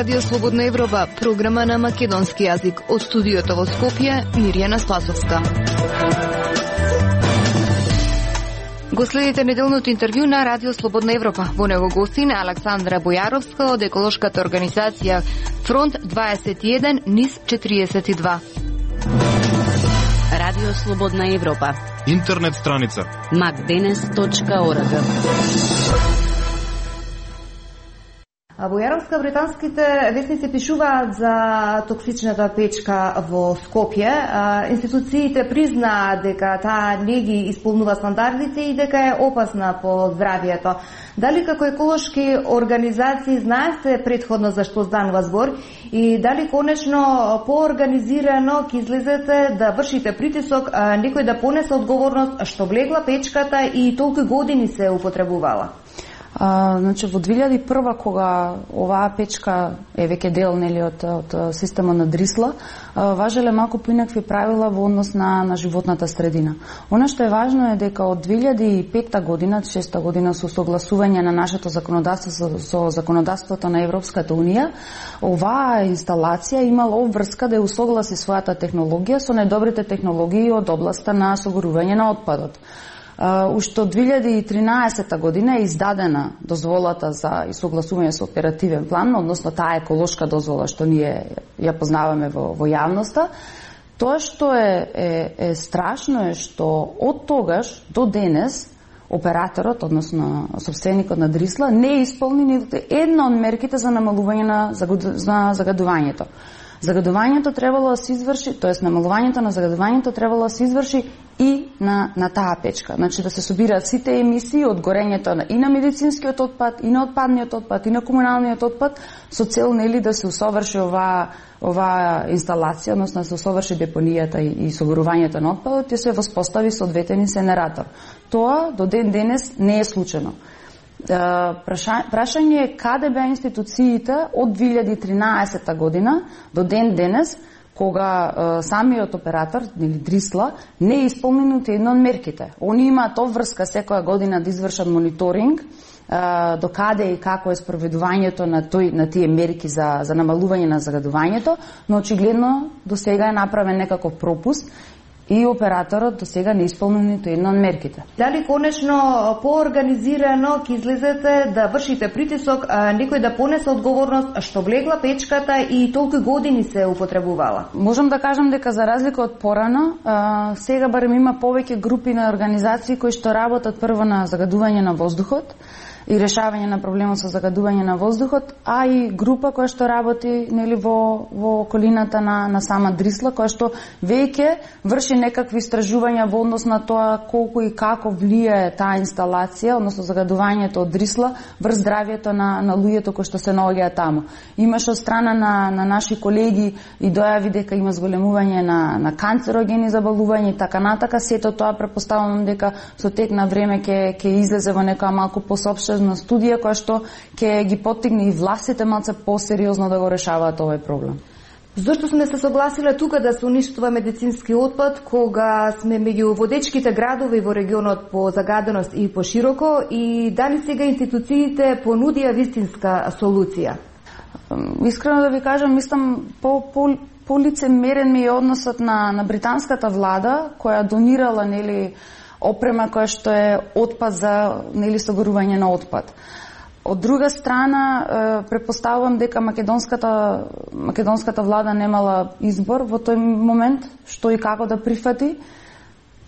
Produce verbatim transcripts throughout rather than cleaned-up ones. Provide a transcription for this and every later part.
Радио Слободна Европа, програма на македонски јазик. Од студиото во Скопје, Мирјана Спасовска. Го следите неделното интервју на Радио Слободна Европа. Во него гостина Александра Бојаровска од еколошката организација Фронт дваесет и еден низ четириесет и два. Радио Слободна Европа. Интернет страница макденес точка орг. Бојаровска, британските весници пишуваат за токсичната печка во Скопје. Институциите признаа дека таа не ги исполнува стандардите и дека е опасна по здравието. Дали како еколошки организации знаете предходно за што станува збор и дали конечно поорганизирано ќе излезете да вршите притисок некој да понесе одговорност што влегла печката и толку години се употребувала? А, значи во две илјади и прва, кога оваа печка е веќе дел нели од, од системот на Дрисла, а, важеле малку поинакви правила во однос на, на животната средина. Она што е важно е дека од две илјади и петта година, шеста година со согласување на нашето законодавство со, со законодавството на Европската унија, оваа инсталација имала обврска да ја усогласи својата технологија со најдобрите технологии од областа на согорување на отпадот. Uh, уште од две илјади и тринаесетта година е издадена дозволата за согласување со оперативен план, односно таа еколошка дозвола што ние ја познаваме во, во јавноста. Тоа што е, е, е страшно е што од тогаш до денес операторот, односно собственикот на Дрисла, не е исполни ниту една од мерките за намалување на, на загадувањето. Загадувањето требало да се изврши, тоест намалувањето на загадувањето требало да се изврши и на, на таа печка. Значи да се собираат сите емисии од горењето на, и на медицинскиот отпад, и на отпадниот отпад, и на комуналниот отпад, со цел нели да се усоврши оваа оваа инсталација, односно да се усоврши депонијата и, и согорувањето на отпадот и се воспостави соодветен инсенератор. Тоа до ден денес не е случено. Прашање е каде беа институциите од две илјади и тринаесетта година до ден денес, кога е, самиот оператор, или Дрисла, не е исполнен ниту една од мерките. Они имаат обврска секоја година да извршат мониторинг, е, до каде и како е спроведувањето на тој на тие мерки за за намалување на загадувањето, но очигледно до сега е направен некаков пропуст и операторот до сега не исполнил ниту една од мерките. Дали конечно поорганизирано ќе излезете да вршите притисок а, некој да понесе одговорност што влегла печката и толку години се употребувала? Можам да кажам дека за разлика од порано, а, сега барем има повеќе групи на организации кои што работат прво на загадување на воздухот и решавање на проблемот со загадување на воздухот, а и група која што работи нели во во околината на на сама Дрисла, која што веќе врши некакви истражувања во однос на тоа колку и како влијае таа инсталација, односно загадувањето од Дрисла врз здравјето на на луѓето кои што се наоѓаат таму. Имаше од страна на на наши колеги и дојави дека има зголемување на на канцерогени заболувања и така натака. Сето тоа претпоставувам дека со тек на време ќе ќе излезе во некоја малку посопштена на студија која што ќе ги поттигне и властите малце посериозно да го решаваат овој проблем. Зошто сме се согласиле тука да се уништува медицински отпад кога сме меѓу водечките градови во регионот по загаденост и по широко и дали сега институциите понудија вистинска солуција? Искрено да ви кажам, мислам по по полицемерен ми е односот на на британската влада која донирала нели опрема која што е отпад за нели согорување на отпад. Од друга страна, претпоставувам дека македонската македонската влада немала избор во тој момент што и како да прифати.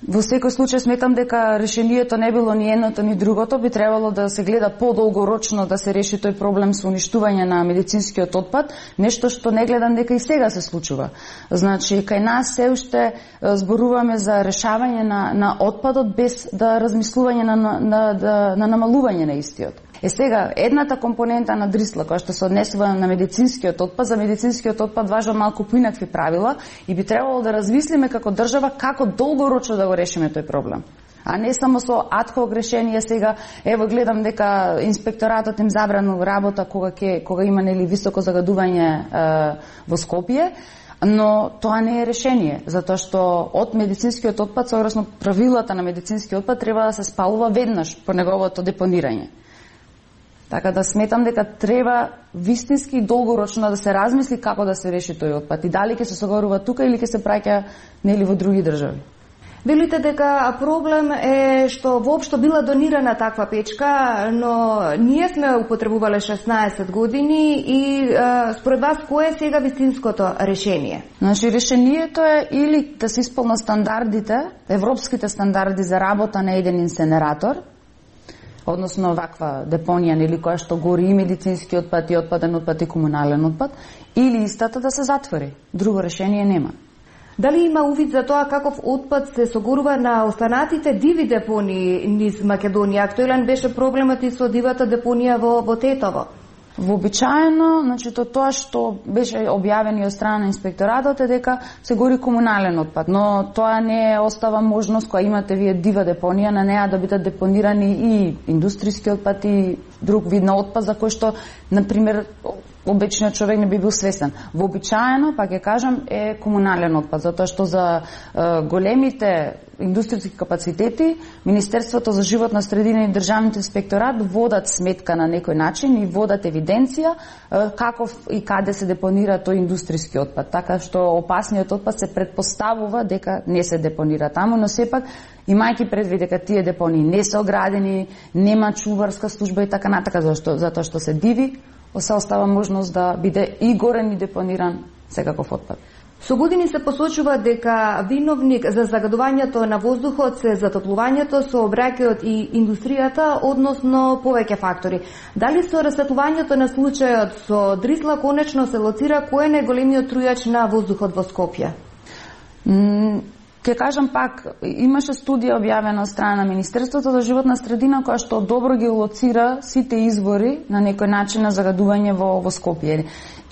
Во секој случај сметам дека решението не било ни едното ни другото, би требало да се гледа подолгорочно да се реши тој проблем со уништување на медицинскиот отпад, нешто што не гледам дека и сега се случува. Значи, кај нас се уште зборуваме за решавање на на отпадот без да размислување на на, на, на, на намалување на истиот. Е сега, едната компонента на Дрисла, која што се однесува на медицинскиот отпад, за медицинскиот отпад важат малку поинакви правила и би требало да размислиме како држава како долгорочно да го решиме тој проблем. А не само со адхок решение сега, ево гледам дека инспекторатот им забранил работа кога ќе кога има нели високо загадување е, во Скопје, но тоа не е решение, затоа што од медицинскиот отпад, согласно правилата на медицинскиот отпад, треба да се спалува веднаш по неговото депонирање. Така да сметам дека треба вистински и долгорочно да се размисли како да се реши тој отпад и дали ќе се согорува тука или ќе се праќа нели во други држави. Велите дека проблем е што воопшто била донирана таква печка, но ние сме употребувале шеснаесет години и е, според вас кое е сега вистинското решение? Значи решението е или да се исполнат стандардите, европските стандарди за работа на еден инсенератор, односно ваква депонија нели која што гори и медицински отпад и отпаден отпад и комунален отпад, или истата да се затвори. Друго решение нема. Дали има увид за тоа каков отпад се согорува на останатите диви депонии низ Македонија? Актуелен беше проблемот и со дивата депонија во, во Тетово. Вообичаено, значи то тоа што беше објавено од страна на инспекторатот е дека се гори комунален отпад, но тоа не остава можност која имате вие дива депонија на неа да бидат депонирани и индустријски отпад и друг вид на отпад за кој што на пример обичниот човек не би бил свесен. Вообичаено, па ќе кажам, е комунален отпад, затоа што за е, големите индустријски капацитети Министерството за животна средина и државниот инспекторат водат сметка на некој начин и водат евиденција е, каков и каде се депонира тој индустријски отпад, така што опасниот отпад се предпоставува дека не се депонира таму, но сепак имајќи предвид дека тие депонии не се оградени, нема чуварска служба и така натака, зашто затоа што се диви, се остава можност да биде и горен и депониран секаков отпад. Со години се посочува дека виновник за загадувањето на воздухот се затоплувањето, сообраќајот и индустријата, односно повеќе фактори. Дали со расветлувањето на случајот со Дрисла конечно се лоцира кој е најголемиот трујач на воздухот во Скопје? Ке кажам пак, имаше студија објавена од страна на Министерството за животна средина која што добро ги лоцира сите извори на некој начин на загадување во, во Скопје.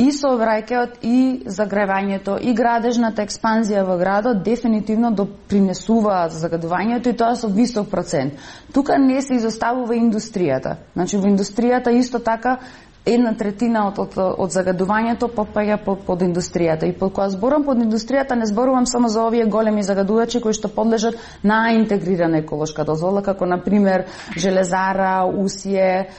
И сообраќајот, и загревањето, и градежната експанзија во градот дефинитивно допринесуваат за загадувањето и тоа со висок процент. Тука не се изоставува индустријата. Значи во индустријата исто така една третина од, од, од загадувањето попаѓа под, под индустријата. И под која зборам под индустријата не зборувам само за овие големи загадувачи кои што подлежат на интегрирана еколошка дозвола, како на пример Железара, Усие,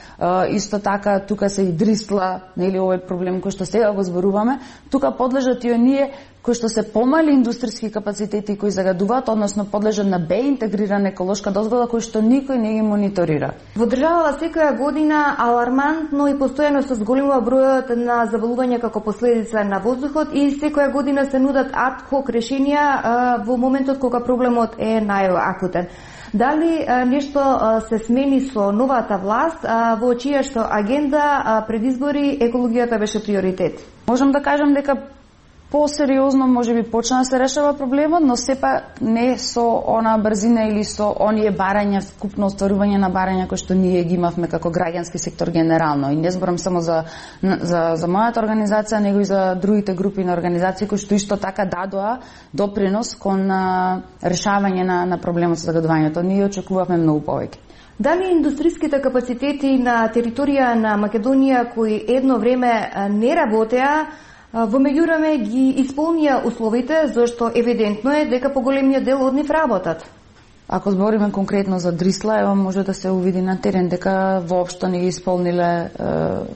исто така тука се и Дрисла, нели овој проблем кој што сега го зборуваме, тука подлежат и оние кои што се помали индустријски капацитети кои загадуваат, односно подлежат на Б интегрирана еколошка дозвола кој што никој не ги мониторира. Во државава секоја година алармантно и постојано се зголемува бројот на заболувања како последица на воздухот и секоја година се нудат ад хок решенија а, во моментот кога проблемот е најакутен. Дали а, нешто а, се смени со новата власт а, во чија што агенда а, пред избори екологијата беше приоритет? Можам да кажам дека посериозно може би почна да се решава проблемот, но сепак не со она брзина или со оние барања, скупно остварување на барања кои што ние ги имавме како граѓански сектор генерално. И не зборам само за, за, за мојата организација, него и за другите групи на организации кои што исто така дадоа допринос кон а, решавање на, на проблемот со загадувањето. Ние очекувавме многу повеќе. Дали индустријските капацитети на територија на Македонија кои едно време не работеа, во меѓувреме ги исполнија условите, зашто евидентно е дека поголемиот дел од нив работат? Ако збориме конкретно за Дрисла, ево може да се увиди на терен дека воопшто не ги исполниле е,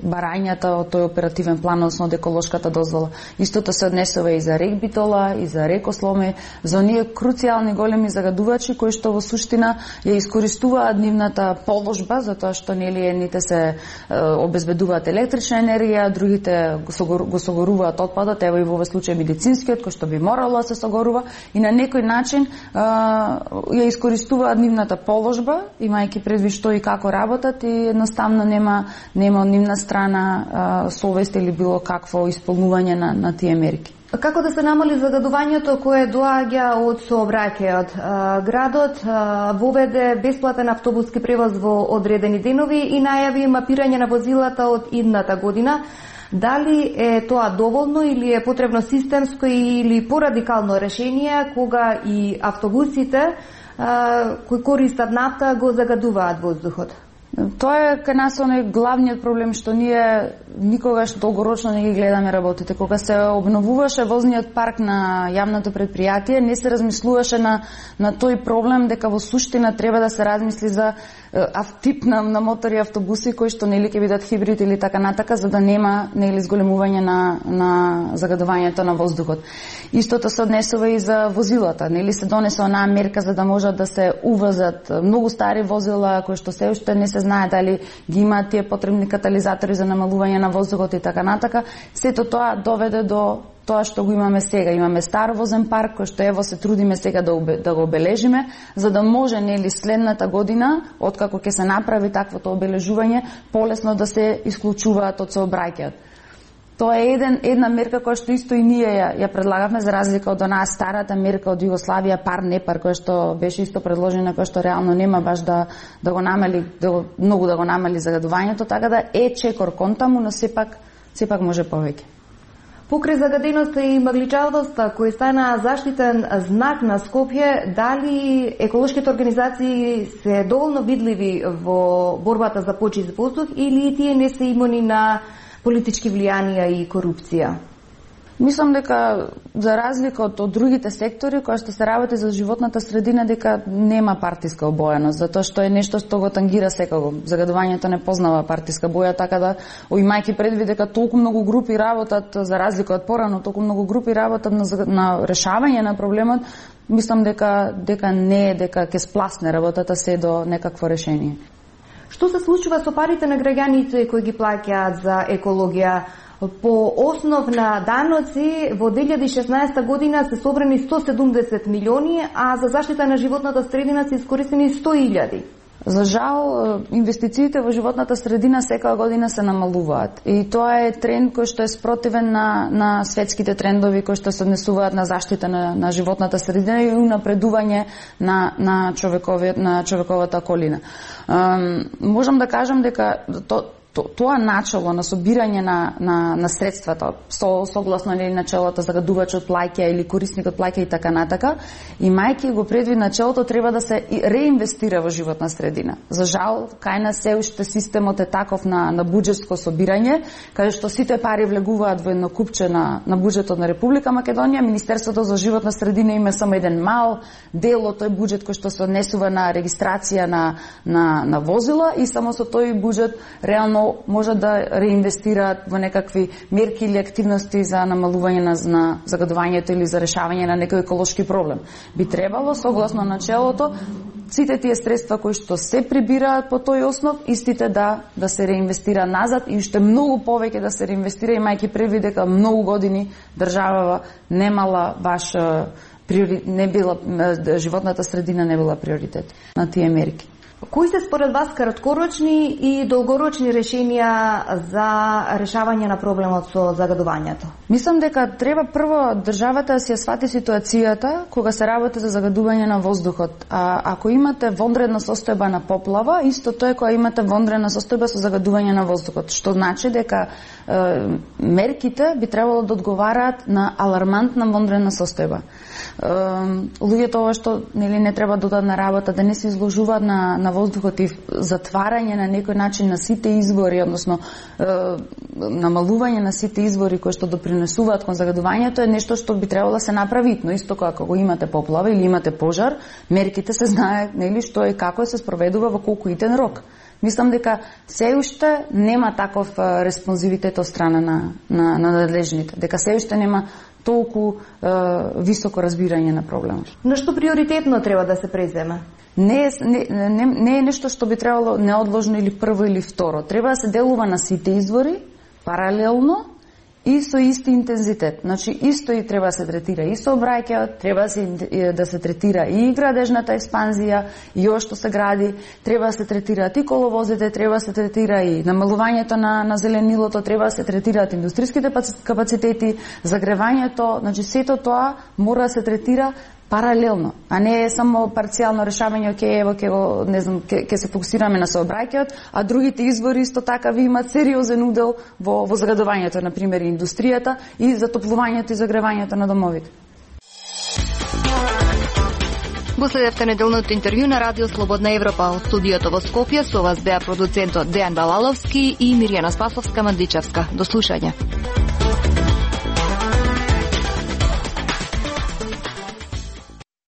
барањата од тој оперативен план, односно од еколошката дозвола. Истото се однесува и за рек Битола, и за рек Осломе, за оние круцијални големи загадувачи кои што во суштина ја искористуваат нивната положба, затоа што нели едните се е, обезбедуваат електрична енергија, другите го, согор, го согоруваат отпадот, ево и во овој случај медицинскиот кој што би морало да се согорува и на некој начин е, ја искористуваат нивната положба, имајќи предвид што и како работат и едноставно нема нема од нивна страна а, совест или било какво исполнување на, на тие мерки. Како да се намали загадувањето кое доаѓа од сообраќајот? Градот воведе бесплатен автобуски превоз во одредени денови и најави мапирање на возилата од идната година. Дали е тоа доволно или е потребно системско или порадикално решение кога и автобусите кои користат нафта го загадуваат воздухот? Тоа е кај нас оној главниот проблем што ние никогаш долгорочно не ги гледаме работите. Кога се обновуваше возниот парк на јавното предпријатие, не се размислуваше на, на тој проблем дека во суштина треба да се размисли за тип на, на мотори автобуси кои што нели ќе бидат хибрид или така натака, за да нема нели зголемување на на загадувањето на воздухот. Истото се однесува и за возилата, нели се донесе онаа мерка за да можат да се увозат многу стари возила кои што се уште не се знае дали ги имаат тие потребни катализатори за намалување на воздухот и така натака. Сето тоа доведе до тоа што го имаме сега. Имаме стар возен парк кој што ево се трудиме сега да, обе, да го обележиме, за да може нели следната година, откако ќе се направи таквото обележување, полесно да се исклучуваат од сообраќајот. Тоа е еден, една мерка која што исто и ние ја, ја предлагавме, за разлика од онаа старата мерка од Југославија, пар не пар, која што беше исто предложена, која што реално нема баш да, да го намали, да го, многу да го намали загадувањето, така да е чекор кон таму, но сепак, сепак може повеќе. Покрај загаденоста и магличавоста, кој стана заштитен знак на Скопје, дали еколошките организации се доволно видливи во борбата за почист воздух или тие не се имуни на политички влијанија и корупција? Мислам дека за разлика од, од другите сектори кои што се работи за животната средина, дека нема партиска обојаност, затоа што е нешто што го тангира секако. Загадувањето не познава партиска боја, така да имајќи предвид дека толку многу групи работат, за разлика од порано, толку многу групи работат на, на решавање на проблемот, мислам дека дека не е дека ќе спласне работата се до некакво решение. Што се случува со парите на граѓаните кои ги плаќаат за екологија? По основ на даноци во две илјади и шеснаесета година се собрани сто седумдесет милиони, а за заштита на животната средина се искористени сто илјади. За жал, инвестициите во животната средина секоја година се намалуваат. И тоа е тренд кој што е спротивен на, на светските трендови кои што се однесуваат на заштита на, на животната средина и унапредување на, на, на човековата околина. Um, можам да кажам дека то, тоа начело на собирање на, на, на средствата, со, согласно или начелото загадувачот плаќа или корисникот плаќа и така натака, имајќи го предвид начелото, треба да се реинвестира во животна средина. За жал, кај нас се уште системот е таков на, на буџетско собирање, каде што сите пари влегуваат во едно купче на, на буџетот на Република Македонија, Министерството за животна средина има само еден мал дел од тој буџет кој што се однесува на регистрација на, на, на возила и само со тој буџет реално може да реинвестираат во некакви мерки или активности за намалување на, на загадувањето или за решавање на некој еколошки проблем. Би требало, согласно начелото, сите тие средства кои што се прибираат по тој основ, истите да да се реинвестира назад и уште многу повеќе да се реинвестира, имајќи предвид дека многу години државава немала баш приори... не била животната средина не била приоритет на тие мерки. Кои се според вас краткорочни и долгорочни решенија за решавање на проблемот со загадувањето? Мислам дека треба прво државата да си ја свати ситуацијата кога се работи за загадување на воздухот. А ако имате вонредна состојба на поплава, исто тоа е кога имате вонредна состојба со загадување на воздухот, што значи дека е, мерките би требало да одговараат на алармантна вонредна состојба. Е, луѓето ова што нели не треба да одат на работа, да не се изложуваат на на воздухот и затварање на некој начин на сите извори, односно е, намалување на сите извори кои што допринесуваат кон загадувањето е нешто што би требало да се направи, но исто како го имате поплава или имате пожар, мерките се знае нели што е како се спроведува во колку итен рок. Мислам дека се уште нема таков респонзивитет од страна на на на надлежните, дека се уште нема толку е, високо разбирање на проблемот. На што приоритетно треба да се преземе? Не е, не, не, не е нешто што би требало неодложно или прво или второ. Треба да се делува на сите извори, паралелно и со исти интензитет. Значи, исто и треба да се третира и сообраќајот, треба да се, да се третира и градежната експанзија, и ова што се гради, треба да се третираат и коловозите, треба да се третира и намалувањето на, на зеленилото, треба да се третираат индустријските капацитети, загревањето, значи сето тоа мора да се третира паралелно, а не е само парцијално решавање, оке, ево, ке го, не знам, ке, ке се фокусираме на сообраќајот, а другите извори исто така ви имаат сериозен удел во, во загадувањето, на пример, индустријата и затоплувањето и загревањето на домовите. Го следевте неделното интервју на Радио Слободна Европа. Од студиото во Скопје со вас беа продуцентот Дејан Балаловски и Мирјана Спасовска-Мандичевска. До слушање.